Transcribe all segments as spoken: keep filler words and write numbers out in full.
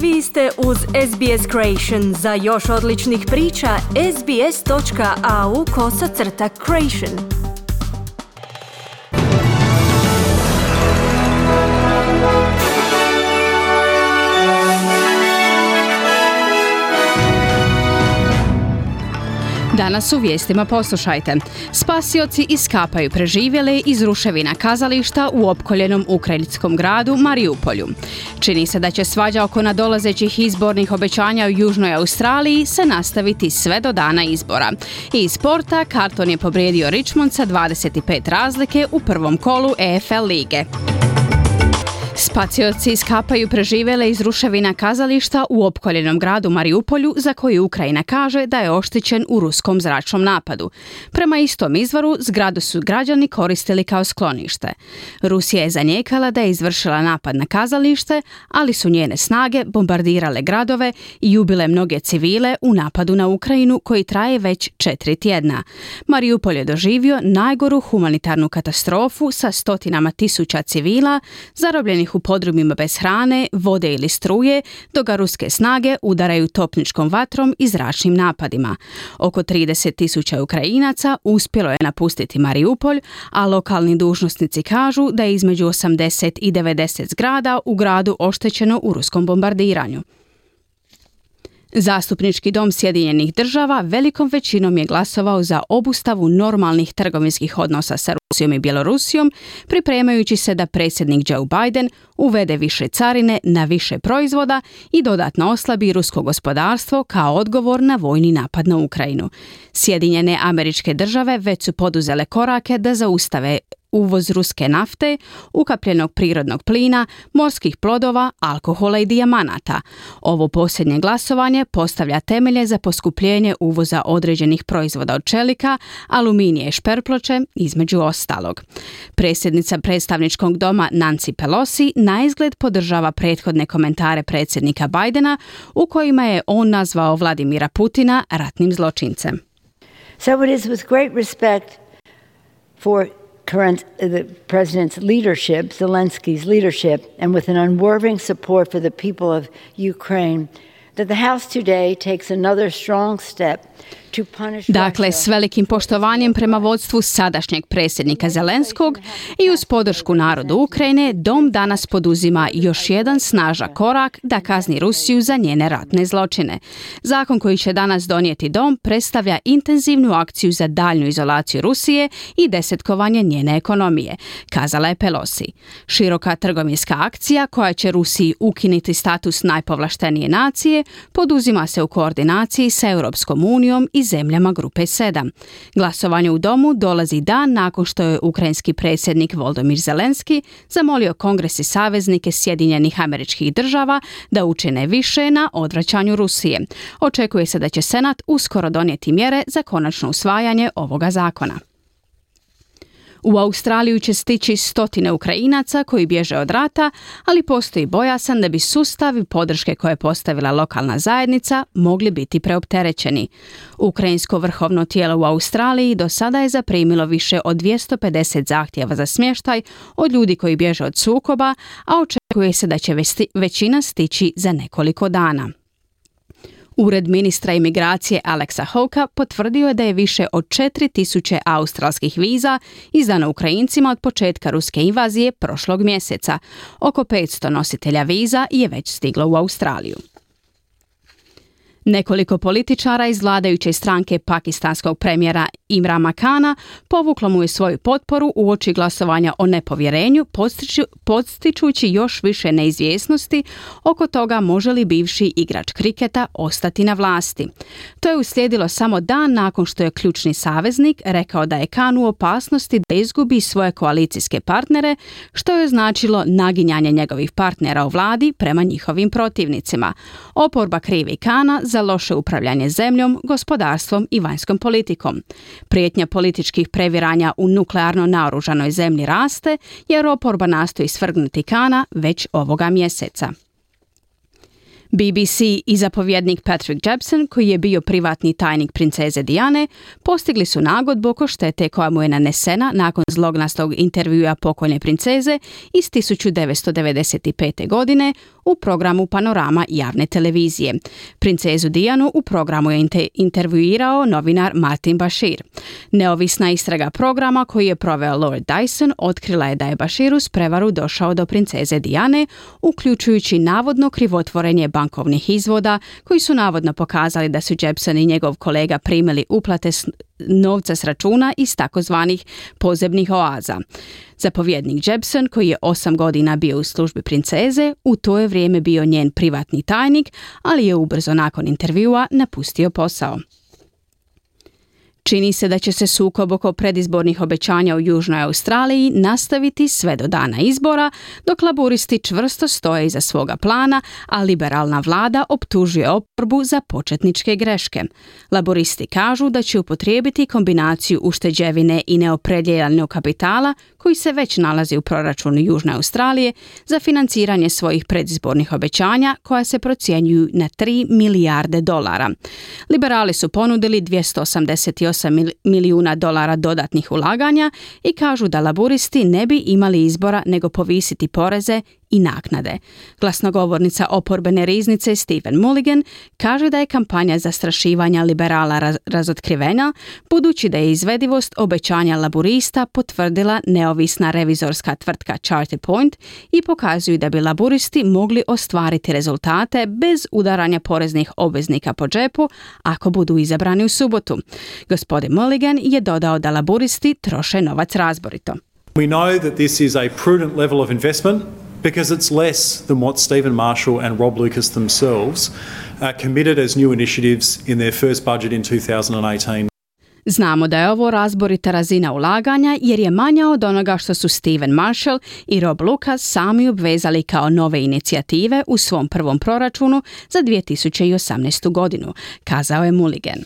Vi ste uz S B S Creation. Za još odličnih priča, sbs.au kosacrta creation. Danas u vijestima poslušajte. Spasioci iskapaju preživjele iz ruševina kazališta u opkoljenom ukrajinskom gradu Mariupolju. Čini se da će svađa oko nadolazećih izbornih obećanja u Južnoj Australiji se nastaviti sve do dana izbora. I iz sporta Carlton je pobijedio Richmond sa dvadeset pet razlike u prvom kolu E F L lige. Spasioci iskapaju preživjele iz ruševina kazališta u opkoljenom gradu Mariupolju, za koji Ukrajina kaže da je oštećen u ruskom zračnom napadu. Prema istom izvoru, zgradu su građani koristili kao sklonište. Rusija je zanijekala da je izvršila napad na kazalište, ali su njene snage bombardirale gradove i ubile mnoge civile u napadu na Ukrajinu koji traje već četiri tjedna. Mariupol je doživio najgoru humanitarnu katastrofu sa stotinama tisuća civila, zarobljenih u podrumima bez hrane, vode ili struje, dok ga ruske snage udaraju topničkom vatrom i zračnim napadima. Oko trideset tisuća Ukrajinaca uspjelo je napustiti Mariupolj, a lokalni dužnosnici kažu da je između osamdeset i devedeset zgrada u gradu oštećeno u ruskom bombardiranju. Zastupnički dom Sjedinjenih država velikom većinom je glasovao za obustavu normalnih trgovinskih odnosa sa Rusijom i Bjelorusijom, pripremajući se da predsjednik Joe Biden uvede više carine na više proizvoda i dodatno oslabi rusko gospodarstvo kao odgovor na vojni napad na Ukrajinu. Sjedinjene Američke Države već su poduzele korake da zaustave uvoz ruske nafte, ukapljenog prirodnog plina, morskih plodova, alkohola i dijamanata. Ovo posljednje glasovanje postavlja temelje za poskupljenje uvoza određenih proizvoda od čelika, aluminija i šperploče, između ostalog. Predsjednica predstavničkog doma Nancy Pelosi naizgled podržava prethodne komentare predsjednika Bidena u kojima je on nazvao Vladimira Putina ratnim zločincem. So it is with great respect for current the president's leadership, Zelensky's leadership, and with an unwavering support for the people of Ukraine, that the House today takes another strong step to punish Dakle, s velikim poštovanjem prema vodstvu sadašnjeg predsjednika Zelenskog i uz podršku narodu Ukrajine, Dom danas poduzima još jedan snažan korak da kazni Rusiju za njene ratne zločine. Zakon koji će danas donijeti Dom predstavlja intenzivnu akciju za daljnju izolaciju Rusije i desetkovanje njene ekonomije, kazala je Pelosi. Široka trgovinska akcija koja će Rusiji ukinuti status najpovlaštenije nacije poduzima se u koordinaciji sa Europskom unijom i zemljama grupe sedam. Glasovanje u Domu dolazi dan nakon što je ukrajinski predsjednik Volodymyr Zelenski zamolio Kongres i saveznike Sjedinjenih Američkih Država da učine više na odvraćanju Rusije. Očekuje se da će Senat uskoro donijeti mjere za konačno usvajanje ovoga zakona. U Australiju će stići stotine Ukrajinaca koji bježe od rata, ali postoji bojasan da bi sustavi podrške koje je postavila lokalna zajednica mogli biti preopterećeni. Ukrajinsko vrhovno tijelo u Australiji do sada je zaprimilo više od dvjesto pedeset zahtjeva za smještaj od ljudi koji bježe od sukoba, a očekuje se da će većina stići za nekoliko dana. Ured ministra imigracije Alexa Hawkea potvrdio je da je više od četiri tisuće australskih viza izdano Ukrajincima od početka ruske invazije prošlog mjeseca. Oko petsto nositelja viza je već stiglo u Australiju. Nekoliko političara iz vladajuće stranke pakistanskog premijera Imrana Khana povuklo mu je svoju potporu uoči glasovanja o nepovjerenju, podstiču, podstičući još više neizvjesnosti oko toga može li bivši igrač kriketa ostati na vlasti. To je uslijedilo samo dan nakon što je ključni saveznik rekao da je Khan u opasnosti da izgubi svoje koalicijske partnere, što je značilo naginjanje njegovih partnera u vladi prema njihovim protivnicima. Oporba krivi Khana za loše upravljanje zemljom, gospodarstvom i vanjskom politikom. Prijetnja političkih previranja u nuklearno naoružanoj zemlji raste, jer oporba nastoji svrgnuti Khana već ovoga mjeseca. B B C i zapovjednik Patrick Jepson, koji je bio privatni tajnik princeze Diane, postigli su nagodbu oko štete koja mu je nanesena nakon zlognastog intervjua pokojne princeze iz tisuću devetsto devedeset pete. godine u programu Panorama javne televizije. Princezu Dianu u programu je inter- intervjuirao novinar Martin Bashir. Neovisna istraga programa koji je proveo Lord Dyson otkrila je da je Bashir uz prevaru došao do princeze Diane, uključujući navodno krivotvorenje bankovnih izvoda koji su navodno pokazali da su Jepsen i njegov kolega primili uplate novca s računa iz takozvanih pozemnih oaza. Zapovjednik Jepsen, koji je osam godina bio u službi princeze, u to je vrijeme bio njen privatni tajnik, ali je ubrzo nakon intervjua napustio posao. Čini se da će se sukob oko predizbornih obećanja u Južnoj Australiji nastaviti sve do dana izbora, dok laburisti čvrsto stoje iza svoga plana, a liberalna vlada optužuje oporbu za početničke greške. Laburisti kažu da će upotrijebiti kombinaciju ušteđevine i neopredjeljenog kapitala koji se već nalazi u proračunu Južne Australije za financiranje svojih predizbornih obećanja koja se procjenjuju na tri milijarde dolara. Liberali su ponudili dvjesto osamdeset osam milijuna dolara dodatnih ulaganja i kažu da laburisti ne bi imali izbora nego povisiti poreze i naknade. Glasnogovornica oporbene riznice Stephen Mulligan kaže da je kampanja zastrašivanja liberala raz- razotkrivena, budući da je izvedivost obećanja laburista potvrdila neovisna revizorska tvrtka Charter Point i pokazuju da bi laburisti mogli ostvariti rezultate bez udaranja poreznih obveznika po džepu ako budu izabrani u subotu. Gospodin Mulligan je dodao da laburisti troše novac razborito. We know that this is a prudent level of investment because it's less than what Stephen Marshall and Rob Lucas themselves uh, committed as new initiatives in their first budget in two thousand eighteen. Znamo da je ovo razborita razina ulaganja jer je manja od onoga što su Stephen Marshall i Rob Lucas sami obvezali kao nove inicijative u svom prvom proračunu za dvije tisuće osamnaestu. godinu, kazao je Mulligan.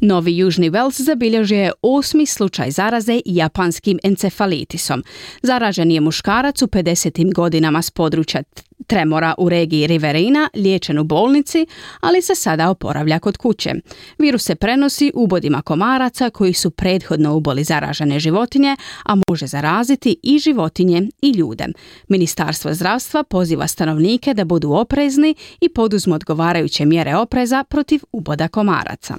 Novi Južni Wales zabilježio je osmi slučaj zaraze japanskim encefalitisom. Zaražen je muškarac u pedesetim godinama s područja tremora u regiji Riverina, liječen u bolnici, ali se sada oporavlja kod kuće. Virus se prenosi ubodima komaraca koji su prethodno uboli zaražene životinje, a može zaraziti i životinje i ljude. Ministarstvo zdravstva poziva stanovnike da budu oprezni i poduzmu odgovarajuće mjere opreza protiv uboda komaraca.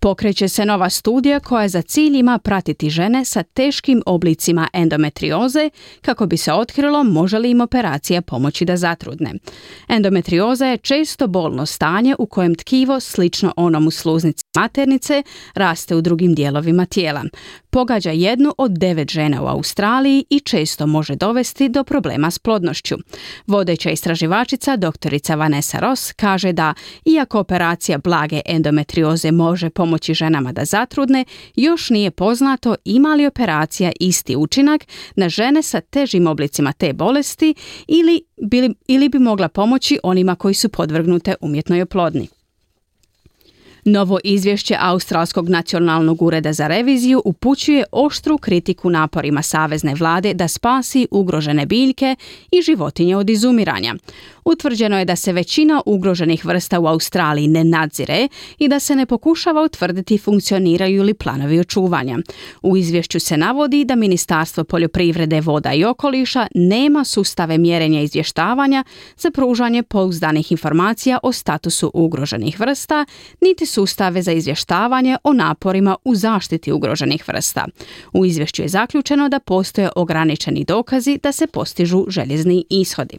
Pokreće se nova studija koja za cilj ima pratiti žene sa teškim oblicima endometrioze kako bi se otkrilo može li im operacija pomoći da zatrudne. Endometrioza je često bolno stanje u kojem tkivo, slično onom u sluznici maternice, raste u drugim dijelovima tijela. Pogađa jednu od devet žena u Australiji i često može dovesti do problema s plodnošću. Vodeća istraživačica doktorica Vanessa Ross kaže da, iako operacija blage endometrioze može pomoći ženama da zatrudne, još nije poznato ima li operacija isti učinak na žene sa težim oblicima te bolesti ili bi, ili bi mogla pomoći onima koji su podvrgnute umjetnoj oplodnji. Novo izvješće Australskog nacionalnog ureda za reviziju upućuje oštru kritiku naporima savezne vlade da spasi ugrožene biljke i životinje od izumiranja. Utvrđeno je da se većina ugroženih vrsta u Australiji ne nadzire i da se ne pokušava utvrditi funkcioniraju li planovi očuvanja. U izvješću se navodi da Ministarstvo poljoprivrede, voda i okoliša nema sustave mjerenja izvještavanja za pružanje pouzdanih informacija o statusu ugroženih vrsta, niti sustave za izvještavanje o naporima u zaštiti ugroženih vrsta. U izvješću je zaključeno da postoje ograničeni dokazi da se postižu željezni ishodi.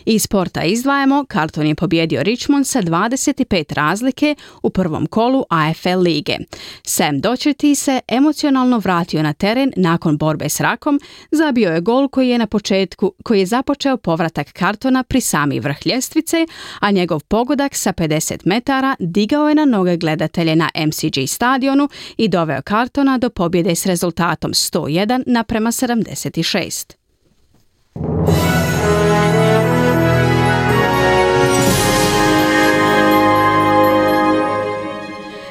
Iz sporta izdvajamo, Carlton je pobjedio Richmond sa dvadeset pet razlike u prvom kolu A F L lige. Sam Docherty se emocionalno vratio na teren nakon borbe s rakom, zabio je gol koji je na početku, koji je započeo povratak Carltona pri sami vrh ljestvice, a njegov pogodak sa pedeset metara digao je na noge gledatelje na M C G stadionu i doveo Carltona do pobjede s rezultatom sto jedan naprema sedamdeset šest.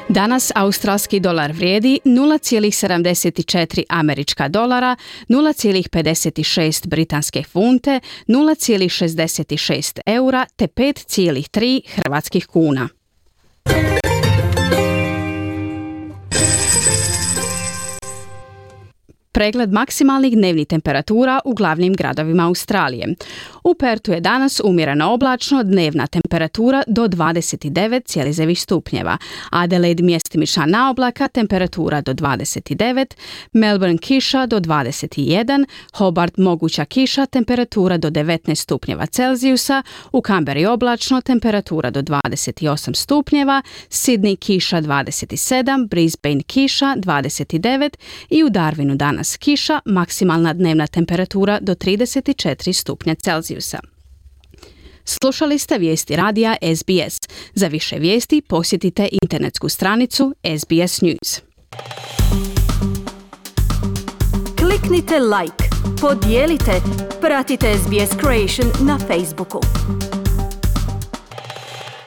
Danas australski dolar vrijedi nula zarez sedamdeset četiri američka dolara, nula zarez pedeset šest britanske funte, nula zarez šezdeset šest eura te pet zarez tri hrvatskih kuna. Pregled maksimalnih dnevnih temperatura u glavnim gradovima Australije. U Pertu je danas umjereno oblačno, dnevna temperatura do dvadeset devet zarez devet stupnjeva. Adelaide mjestimična naoblaka, temperatura do dvadeset devet, Melbourne kiša do dvadeset jedan, Hobart moguća kiša, temperatura do devetnaest stupnjeva Celzijusa, u Canberri oblačno, temperatura do dvadeset osam stupnjeva, Sydney kiša dvadeset sedam, Brisbane kiša dvadeset devet i u Darwinu danas kiša, maksimalna dnevna temperatura do trideset četiri stupnja Celzijusa. Slušali ste vijesti radija S B S. Za više vijesti posjetite internetsku stranicu S B S News. Kliknite like, podijelite, pratite S B S Creation na Facebooku.